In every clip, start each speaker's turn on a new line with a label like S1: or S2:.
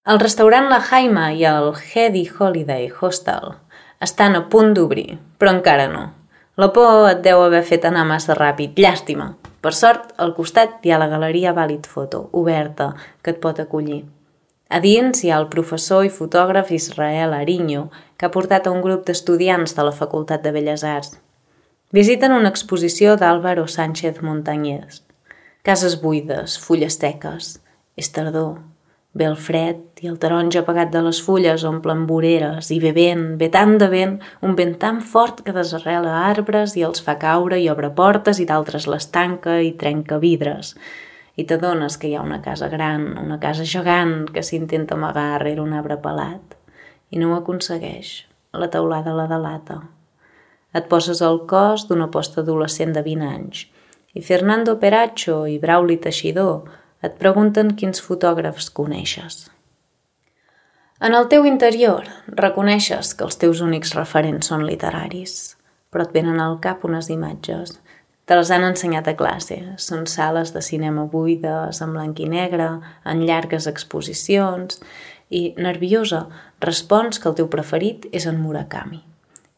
S1: El restaurant La Jaima i el Heady Holiday Hostel estan a punt d'obrir, però encara no. La por et deu haver fet anar massa ràpid, llàstima. Per sort, al costat hi ha la Galeria Vàlid Foto, oberta, que et pot acollir. A dins hi ha el professor i fotògraf Israel Ariño, que ha portat a un grup d'estudiants de la Facultat de Belles Arts. Visiten una exposició d'Álvaro Sánchez Montañés. Cases buides, fulles seques. És tardor. Ve el fred i el taronja apagat de les fulles omplen voreres i ve vent, ve tant de vent, un vent tan fort que desarrela arbres i els fa caure i obre portes i d'altres les tanca i trenca vidres. I t'adones que hi ha una casa gran, una casa gegant que s'intenta amagar rere un arbre pelat i no ho aconsegueix. La teulada la delata. Et poses al cos d'una postadolescent de 20 anys i Fernando Peracho i Brauli Teixidor et pregunten quins fotògrafs coneixes. En el teu interior reconeixes que els teus únics referents són literaris, però et venen al cap unes imatges. Te les han ensenyat a classe. Són sales de cinema buides, en blanc i negre, en llargues exposicions, i, nerviosa, respons que el teu preferit és en Murakami.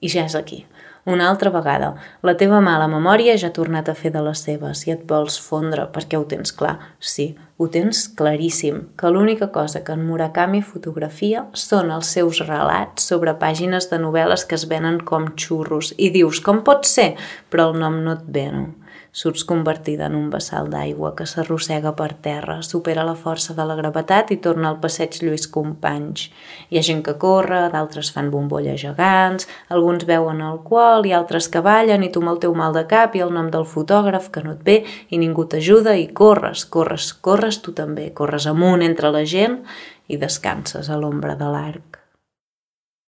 S1: I ja és aquí. Una altra vegada, la teva mala memòria ja ha tornat a fer de les seves i et vols fondre perquè ho tens clar. Sí, ho tens claríssim, que l'única cosa que en Murakami fotografia són els seus relats sobre pàgines de novel·les que es venen com xurros i dius, com pot ser? Però el nom no et ve, no? Surts convertida en un vessal d'aigua que s'arrossega per terra, supera la força de la gravetat i torna al passeig Lluís Companys. Hi ha gent que corre, d'altres fan bombolles gegants, alguns beuen alcohol i altres que ballen i tu amb el teu mal de cap i el nom del fotògraf que no et ve i ningú t'ajuda i corres tu també, corres amunt entre la gent i descanses a l'ombra de l'arc.